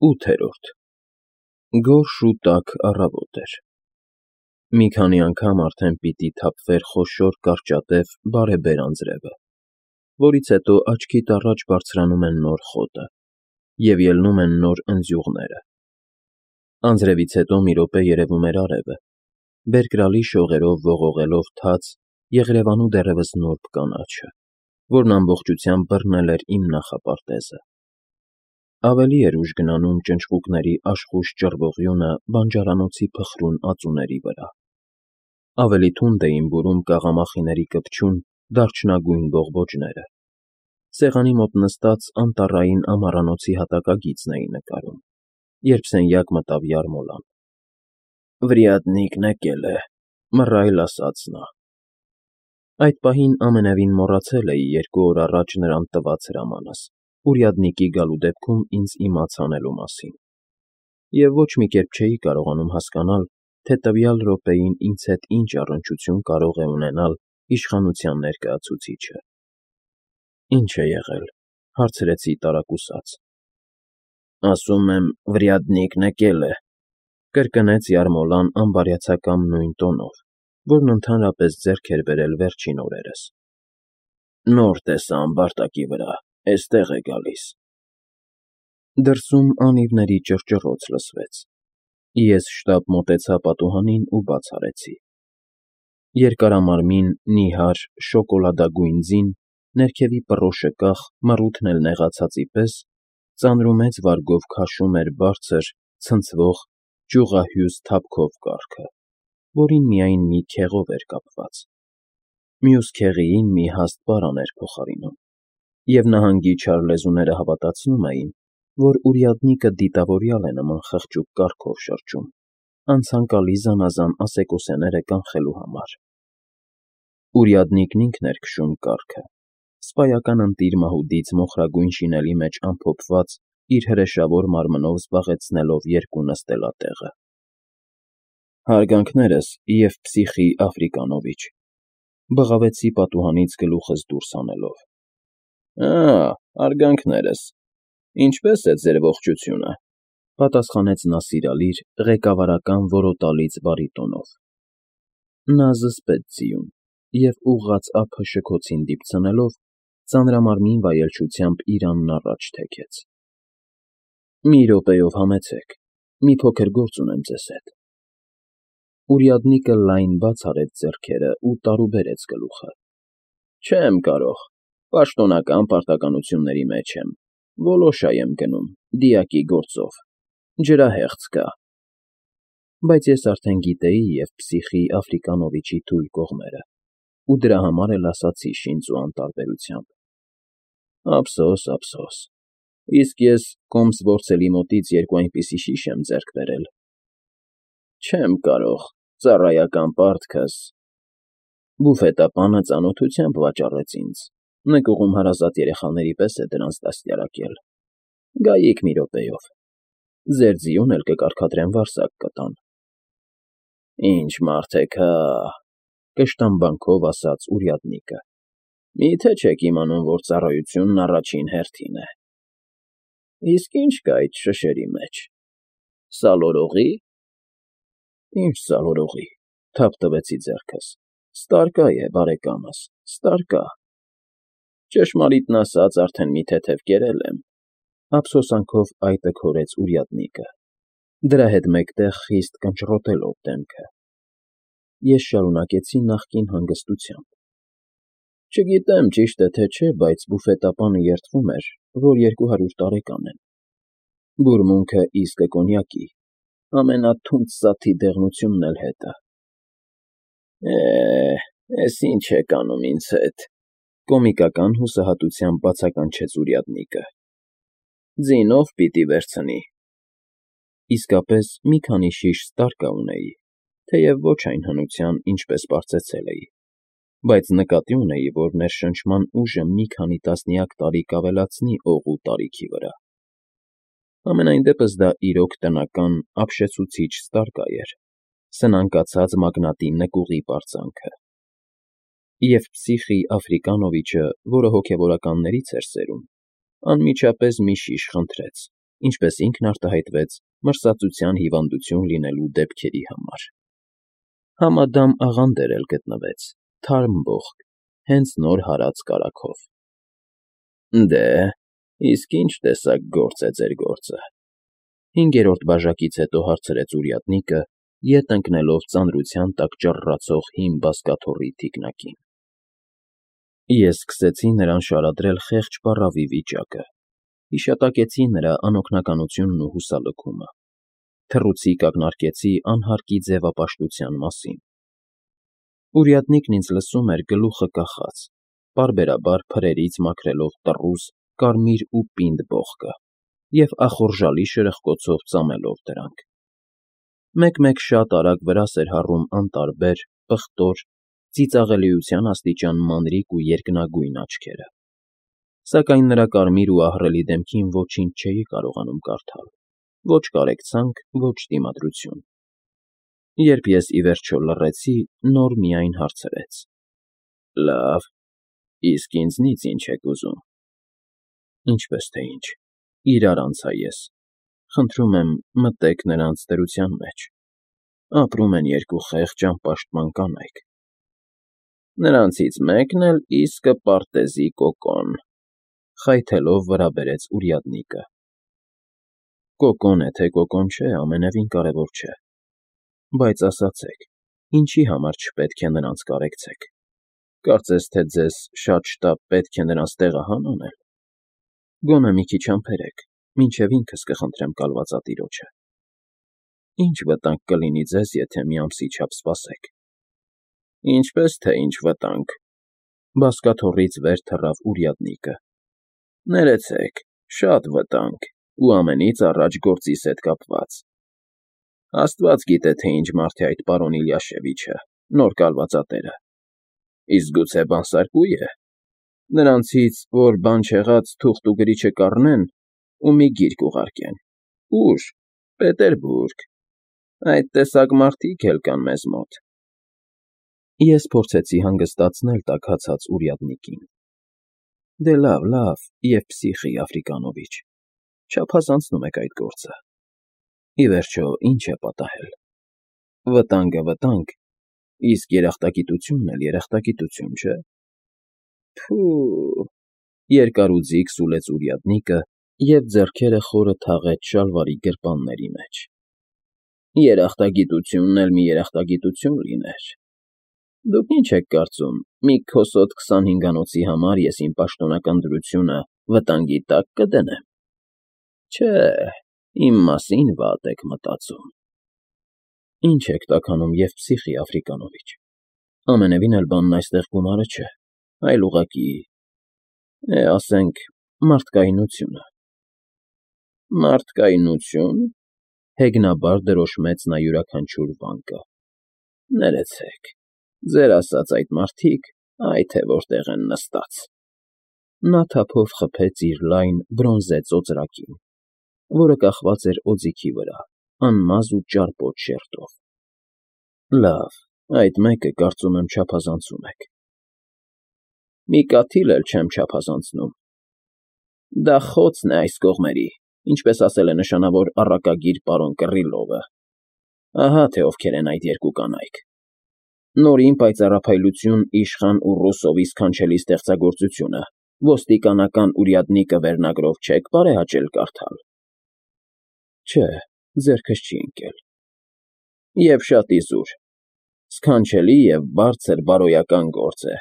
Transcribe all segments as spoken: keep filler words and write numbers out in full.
ՈՒԹԵՐՈՐԴ Գորշ ու տաք առավոտ էր։ Մի քանի անգամ արդեն պիտի թափվեր խոշոր կարճատև բարեբեր անձրևը, որից հետո աչքիդ առաջ բարձրանում է նոր խոտը, և ելնում են նոր ընձյուղները։ Անձրևից հետո մի րոպե երևում էր արևը, բերկրալի շողերով ողողելով թաց, եղրևանու դեռևս նուրբ կանաչը, որն ամբողջությամբ բռնել էր իմ նախապարտեզը։ Ավելի էր ուժ գնանում ճնճղուկների աշխույժ ճռվողյունը բանջարանոցի փխրուն ածուների վրա։ Ավելի թունդ էին բուրում կաղամախիների կպչուն, դարչնագույն բողբոջները։ Սեղանի մոտ նստած անտառային ամառանոցի հատակագիծն էի նկարում, երբ սենյակ մտավ Յարմոլան։ ֊ Վրիադնիկն եկել է,֊ մռայլ ասաց նա։ Այդ պահին ամենևին մոռացել էի երկու օր առաջ նրան տված հրամանս, урядники գալու դեպքում ինձ իմաց անելու մասին, և ոչ մի կերպ չէի կարողանում հասկանալ, թե տվյալ րոպեին ինձ հետ ինչ առնչություն կարող է ունենալ իշխանության ներկայացուցիչը։ ֊ Ի՞նչ է եղել,֊ հարցրեցի տարակուսած։ ֊ Ասում եմ, վրիադնիկն եկել է,֊ կրկնեց Յարմոլան անբարյացակամ նույն տոնով, որն ընդհանրապես ձեռք էր բերել վերջին օրերս։ ֊ Նոր տեսա ամբարտակի վրա, էստեղ է գալիս։ Դրսում անիվների ճռճռոց լսվեց։ Ես շտապ մոտեցա պատուհանին ու բաց արեցի։ Երկարամարմին, նիհար, շոկոլադագույն ձին, ներքևի պռոշը կախ, մռութն էլ նեղացածի պես, ծանրումեծ վարգով քաշում էր բարձր, ցնցվող, ճյուղահյուս թափքով կառքը, որին միայն մի քեղով էր կապված։ Մյուս քեղիին մի հաստ պարան էր փոխարինում, և նահանգի չար լեզուները հավատացնում էին, որ уряднիկը դիտավորյալ է նման խղճուկ կառքով շրջում, անցանկալի զանազան ասեկոսեները կանխելու համար։ Урядникն ինքն էր քշում կառքը, սպայական ընտիր մահուդից մոխրագույն շինելի մեջ ամփոփված իր հրեշավոր մարմնով զբաղեցնելով երկու նստելատեղը։ ֊ Հարգանքներս, Եվպսիխի Աֆրիկանովիչ,֊ բղավեցի պատուհանից գլուխս դուրս հանելով։ ֊ Ա՜, հարգանքներս, ինչպե՞ս է ձեր ողջությունը,֊ պատասխանեց նա սիրալիր, ղեկավարական որոտալից բարիտոնով։ Նա զսպեց ձիուն և, ուղղած ափը շքոցին դիպցնելով, ծանրամարմին վայելչությամբ իրանն առաջ թեքեց։ ֊ Մի րոպեով համեցեք, մի փոքր գործ ունեմ ձեզ հետ։ Уряднիկը լայն բաց արեց ձեռքերն ու տարուբերեց գլուխը։ ֊ Չեմ կարող, պաշտոնական պարտականությունների մեջ եմ, Վոլոշա եմ գնում, դիակի գործով, ջրահեղձ կա։ Բայց ես արդեն գիտեի Եվպսիխի Աֆրիկանովիչի թույլ կողմերը ու դրա համար էլ ասացի շինծու անտարբերությամբ. ափսոս, ափսոս, իսկ ես Կոմսվորցելի մոտից երկու այնպիսի շիշ եմ ձեռք բերել։ Չեմ կարող, ծառայական պարտքս… Բուֆետապանը ծանոթությամբ վաճառեց ինձ, նկուղում հարազատ երեխաների պես է դրանց դաստիարակել։ Գայիք մի րոպեով, ձեր ձիուն էլ կկարգադրեմ վարսակ կտան։ ֊ Ինչ մարդ եք հա,֊ կշտամբանքով ասաց уряднիկը,֊ մի՞թե չեք իմանում, որ ծառայությունն առաջին հերթին է։ ֊ Իսկ ի՞նչ կա այդ շշերի մեջ, սալորողի՞։ ֊ Ի՞նչ սալորողի,֊ թափ տվեցի ձեռքս,֊ ստարկա է, բարեկամս, ստարկա։ Ճշմարիտն ասած, արդեն մի թեթև կերել եմ,֊ ափսոսանքով այտը քորեց уряднիկը, դրա հետ մեկտեղ խիստ կնճռոտելով դեմքը։ Ես շարունակեցի նախկին հանգստությամբ. Չգիտեմ ճիշտ է թե չէ, բայց բուֆետապանը երդվում էր, որ երկու հարյուր տարեկան եմ։ Բուրմունքը իսկը կոնյակի, ամենաթունդ սաթի դեղնությունն էլ հետը։ ֊ Է, էս ինչ եք անում ինձ հետ,֊ կոմիկական հուսահատությամբ բացականչեց уряднիկը։ ֊ Ձինո՞վ պիտի վերցնի։ Իսկապես մի քանի շիշ ստարկա ունեի, թեև ոչ այն հնության, ինչպես պարծեցել էի, բայց նկատի ունեի, որ ներշնչման ուժը մի քանի տասնյակ տարի կավելացնի օղու տարիքի վրա։ Համենայն դեպս դա իրոք տնական, ապշեցուցիչ ստարկա էր, սնանկացած մագնատի նկուղի պարծանքը։ Եվպսիխի Աֆրիկանովիչը, որը հոգևորականներից էր սերում, անմիջապես մի շիշ խնդրեց, ինչպես ինքն արտահայտվեց մրսածության հիվանդություն լինելու դեպքերի համար։ Համադամ աղանդեր էլ գտնվեց, թարմ ողք, հենց նոր հարած կարագով։ Դե, իսկ ինչ տեսակ գործ է ձեր գործը, հինգերորդ բաժակից հետո հարցրեց уряднիկը, ետ ընկնելով ծանրության տակ ճռռացող հին բազկաթոռի թիկնակին։ Ես սկսեցի նրան շարադրել խեղճ պառավի վիճակը, հիշատակեցի նրա անօգնականությունն ու հուսալքումը, թռուցիկ ակնարկեցի անհարկի ձևապաշտության մասին։ Урядникն ինձ լսում էր գլուխը կախած, պարբերաբար փրերից մաքրելով տռուզ, կարմիր ու պինդ բողկը և ախորժալի շրխկոցով ծամելով դրանք։ Մեկ֊մեկ շատ արագ վրաս էր հառում անտարբեր, պղտոր, ծիծաղելիության աստիճան մանրիկ ու երկնագույն աչքերը, սակայն նրա կարմիր ու ահռելի դեմքին ոչինչ չէի կարողանում կարդալ, ոչ կարեկցանք, ոչ դիմադրություն։ Երբ ես ի վերջո լռեցի, նոր միայն հարցրեց. Լավ, իսկ ինձնից ի՞նչ եք ուզում։ Ինչպես թե ինչ, իրար անցա ես, խնդրում եմ մտեք նրանց դրության մեջ, ապրում են երկու խեղճ անպաշտպան կանայք։ Նրանցից մեկն էլ իսկը պարտեզի կոկոն, խայթելով վրա բերեց уряднիկը։ Կոկոն է, թե կոկոն չէ, ամենևին կարևոր չէ, բայց ասացեք, ինչի համար չպետք է նրանց կարեկցեք, կարծես թե ձեզ շատ շտապ պետք է նրանց տեղահան անել։ Գոնե մի քիչ համբերեք, մինչև ինքս կխնդրեմ կալվածատիրոջը։ Ինչ վտանգ կլինի ձեզ, եթե մի ամսի չափ սպասեք։ Ինչպես թե ինչ վտանգ, բազկաթոռից վեր թռավ уряднիկը։ Ներեցեք, շատ վտանգ, ու ամենից առաջ գործիս հետ կապված։ Աստված գիտե, թե ինչ մարդ է այդ պարոն Իլյաշևիչը, նոր կալվածատերը։ Իսկ գուցե բանսարկու է։ Նրանցից, որ բան չեղած թուղթ ու գրիչը կառնեն ու մի գիրք ուղարկեն։ Ուր, Պետերբուրգ, այդ տեսակ մարդիկ էլ կան մեզ մոտ։ Ես փորձեցի հանգստացնել տաքացած урядникին։ Դե լավ, լավ, Եվպսիխի Աֆրիկանովիչ, չափազանցնում եք այդ գործը։ Ի վերջո, ինչ է պատահել։ Վտանգը վտանգ, իսկ երախտագիտությունն էլ երախտագիտություն, չէ՞։ Փու… Երկարուձիգ սուլեց урядникը և ձեռքերը խորը թաղեց շալվարի գրպանների մեջ։ Երախտագիտությունն էլ մի երախտագիտություն լիներ։ Դուք ինչ եք կարծում, մի քոսոտ քսանհինգանոցի համար ես իմ պաշտոնական դրությունը վտանգի տակ կդնեմ։ Չէ, իմ մասին վատ եք մտածում։ Ինչ եք տաքանում Եվպսիխի Աֆրիկանովիչ։ Ամենևին էլ բանն այստեղ գումարը չէ, այլ ուղղակի, է, ասենք, մարդկայնությունը։ Մարդկայնությո՞ւն, հեգնաբար դրոշմեց նա յուրաքանչյուր վանկը։ Ներեցեք, ձեր ասած այդ մարդիկ, այ թե որտեղ են նստած։ Նա թափով խփեց իր լայն բրոնզե ծոծրակին, որը կախված էր օձիքի վրա, անմազ ու ճարպոտ շերտով։ Լավ, այդ մեկը, կարծում եմ, չափազանցում եք։ Մի կաթիլ էլ չեմ չափազանցնում։ Դա խոցն է այս կողմերի, ինչպես ասել է նշանավոր առակագիր պարոն Կռիլովը։ Ահա թե ովքեր են այդ երկու կանայք։ Նորին պայծառափայլություն իշխան ու Ռուսովի սքանչելի ստեղծագործությունը, ոստիկանական уряднիկը վերնագրով չեք բարեհաճել կարդալ։ Չէ, ձեռքս չի ընկել։ Եվ շատ իզուր, սքանչելի և բարձր բարոյական գործ է,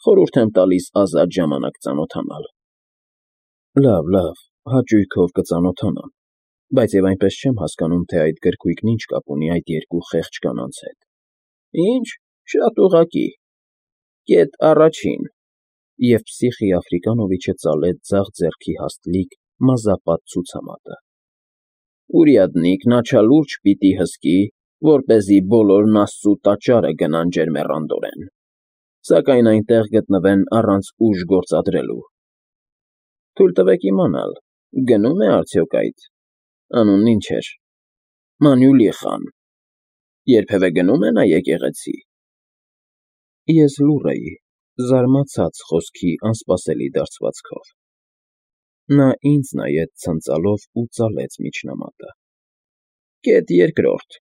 խորհուրդ եմ տալիս ազատ ժամանակ ծանոթանալ։ Լավ, լավ, հաճույքով կծանոթանամ, բայց և այնպես չեմ հասկանում, թե այդ գրքույկն ինչ կապ ունի այդ երկու խեղճ կանանց հետ։ Ինչ, շատ ուղղակի։ Կետ առաջին, Եվպսիխի Աֆրիկանովիչը ծալեց ձախ ձեռքի հաստլիկ մազապատ ցուցամատը։ Урядникն աչալուրջ պիտի հսկի, որպեսզի բոլորն Աստծու տաճարը գնան ջերմեռանդորեն, սակայն այնտեղ գտնվեն առանց ուժ գործադրելու։ Թույլ տվեք իմանալ, գնո՞ւմ է արդյոք այդ… անունն ինչ էր… Մանուլիխան, երբևէ գնո՞ւմ է նա եկեղեցի։ Ես լուռ էի, զարմացած խոսքի անսպասելի դարձվածքով։ Նա ինձ նայեց ցնծալով ու ծալեց միջնամատը։ Կետ երկրորդ.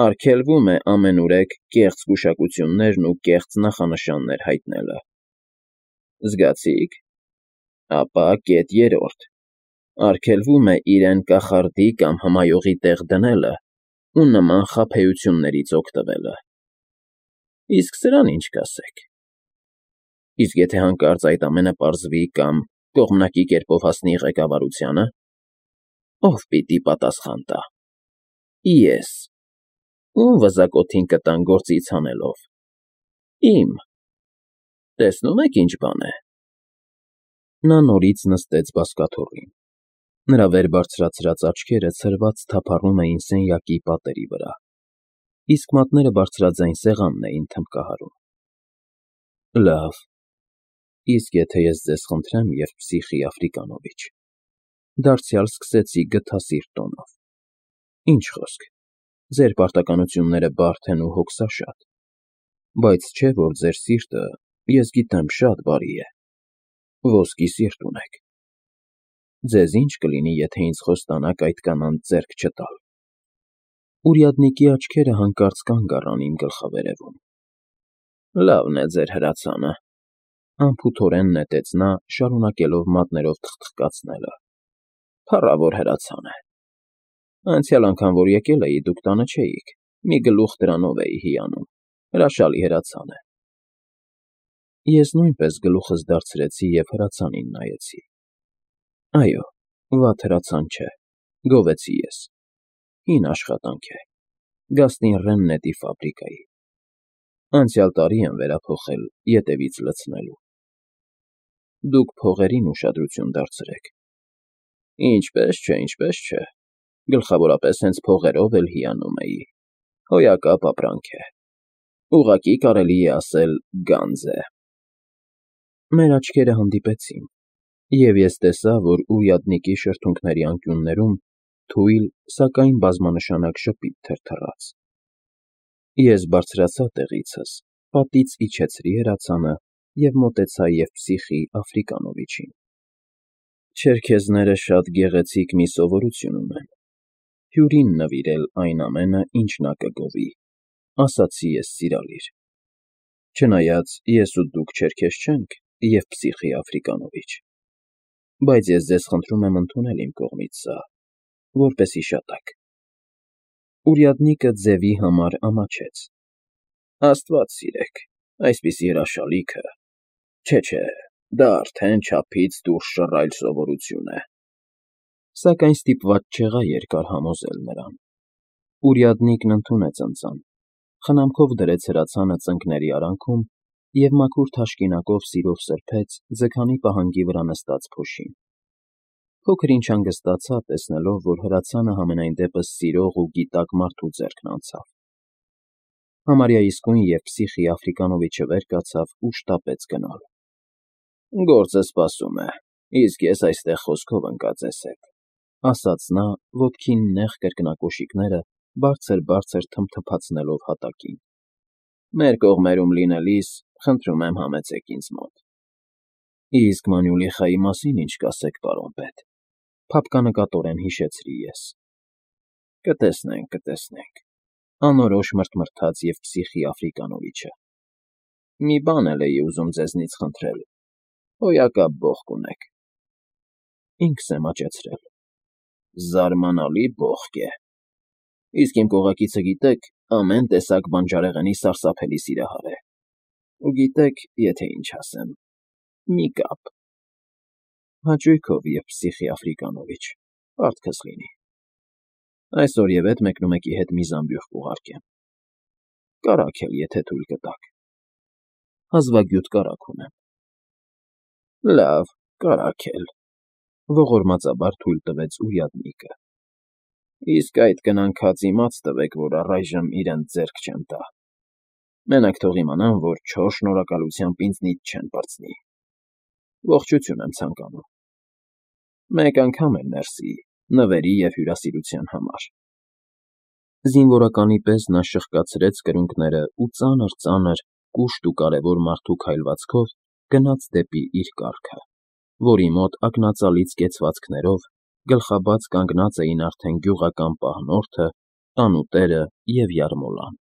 արգելվում է ամենուրեք կեղծ գուշակություններն ու կեղծ նախանշաններ հայտնելը։ Զգացի՞ք։ Ապա կետ երրորդ. արգելվում է իրեն կախարդի կամ հմայողի տեղ դնելը ու նման խաբեություններից օգտվելը։ Իսկ սրան ինչ կասեք։ Իսկ եթե հանկարծ այդ ամենը պարզվի կամ կողմնակի կերպով հասնի ղեկավարությանը, ո՞վ պիտի պատասխան տա։ Ես։ Ո՞ւմ վզակոթին կտան գործից հանելով։ Իմ։ Տեսնում եք ինչ բան է։ Նա նորից նստեց բազկաթոռին։ Նրա վեր բարձրացրած աչքերը ցրված թափառում էին սենյակի պատերի վրա, իսկ մատները բարձրաձայն սեղանն էին թմբկահարում։ Լավ, իսկ եթե ես ձեզ խնդրեմ, Եվպսիխի افրիկանովիչ, դարձյալ սկսեցի գթասիրտ տոնով, ինչ խոսք, ձեր պարտականությունները բարդ են ու հոգսաշատ, բայց չէ՞ որ ձեր սիրտը, ես գիտեմ, շատ բարի է, ոսկի սիրտ ունեք։ Ձեզ ի՞նչ կլինի, եթե ինձ խոստանաք այդ կանանց ձեռք չտալ։ Ուրյադնիկի աչքերը հանկարծ կանգ առան իմ գլխավերևում։ Լավն է ձեր հրացանը, անփութորեն նետեց նա, շարունակելով մատներով թխթխկացնելը։ Փառավոր հրացան է։ Անցյալ անգամ, որ եկել էի, դուք տանը չէիք, մի գլուխ դրանով էի հիանում, հրաշալի հրացան է։ Ես նույնպես գլուխս դարձրեցի և հրացանին նայեցի։ Այո, վատ հրացան չէ, գովեցի ես։ Հին աշխատանք է, Գաստին Ռեննետի ֆաբրիկայի։ Անցյալ տարի եմ վերափոխել ետևից լցնելու։ Դուք փողերին ուշադրություն դարձրեք։ Ինչպես չէ, ինչպես չէ, գլխավորապես հենց փողերով էլ հիանում էի, հոյակապ ապրանք է, ուղղակի կարելի է ասել գանձ է։ Մեր աչքերը հանդիպեցին, և ես տեսա, որ ուրյադնիկի շրթունքների անկյուններում թույլ, սակայն բազմանշանակ ժպիտ թրթռաց։ Ես բարձրացա տեղիցս, պատից իջեցրի հրացանը և մոտեցա Եվպսիխի افրիկանովիչին։ Չերքեզները շատ գեղեցիկ մի սովորություն ունեն՝ հյուրին նվիրել այն ամենը, ինչ նա կգովի, ասացի ես սիրալիր։ Չնայած ես ու դուք չերքեզ չենք, Եվպսիխի افրիկանովիչ, բայց ես ձեզ խնդրում եմ ընդունել իմ կողմից սա, որպես հիշատակ։ Ուրյադնիկը ձևի համար ամաչեց։ Աստված սիրեք, այսպիսի հրաշալիքը, չէ, չէ, դա արդեն չափից դուրս շռայլ սովորություն է։ Սակայն ստիպված չեղա երկար համոզել նրան։ Ուրյադնիկն ընդունեց ընծան, խնամքով դրեց հրացանը ծնկների արանքում և մաքուր թաշկինակով սիրով սրբեց ձգանի պահանգի վրա նստած փոշին։ Փոքր ինչ հանգստացա, տեսնելով, որ հրացանը համենայն դեպս սիրող ու գիտակ մարդու ձեռքն անցավ։ Համարյա իսկույն Եվպսիխի افրիկանովիչը վեր կացավ ու շտապեց գնալ։ Գործը սպասում է, իսկ ես այստեղ խոսքով ընկած ես հետ, ասաց նա, ոտքի նեղ կրկնակոշիկները բարձր֊բարձր թմթփացնելով հատակին։ Մեր կողմերում լինելիս, խնդրում եմ համեցեք ինձ մոտ։ Իսկ Մանուլիխայի մասին ինչ կասեք, պարոն պետ, փափկանկատորեն հիշեցրի ես։ Կտեսնենք, կտեսնենք, անորոշ մռթմռթաց Եվպսիխի افրիկանովիչը։ Մի բան էլ էի ուզում ձեզնից խնդրել, հոյակապ բոխկ ունեք։ Ինքս եմ աճեցրել։ Զարմանալի բոխկ է։ Իսկ իմ կողակիցը, գիտեք, ամեն տեսակ բանջարեղենի սարսափելի սիրահար է։ Ու գիտեք, եթե ինչ ասեմ, մի կապ։ Հաճույքով, Եվպսիխի افրիկանովիչ, պարտքս լինի։ Այսօր և էդ մեկնումեկի հետ մի զամբյուղ կուղարկեմ։ Կարագ էլ, եթե թույլ կտաք։ Հազվագյուտ կարագ ունեմ։ Լավ, կարագ էլ, ողորմածաբար թույլ տվեց ուրյադնիկը։ Իսկ այդ կնանքած իմաց տվեք, որ առայժմ իրենց ձեռք չեմ տա։ Մենակ թող իմանան, որ չոր շնորհակալությամբ ինձնից չեն պրծնի։ Ողջույն եմ ցանկանում։ Մեկ անգամ էլ մերսի, նվերի և հյուրասիրության համար։ Զինվորականի պես նա շրխկացրեց կրունկները ու ծանր֊ծանր, կուշտ ու կարևոր մարդու քայլվածքով գնաց դեպի իր կառքը։ որի մոտ ակնածալից կեցվածքներով գլխաբաց կանգնած էին արդեն գյուղական պահնորդը, տանուտերը և յարմոլան։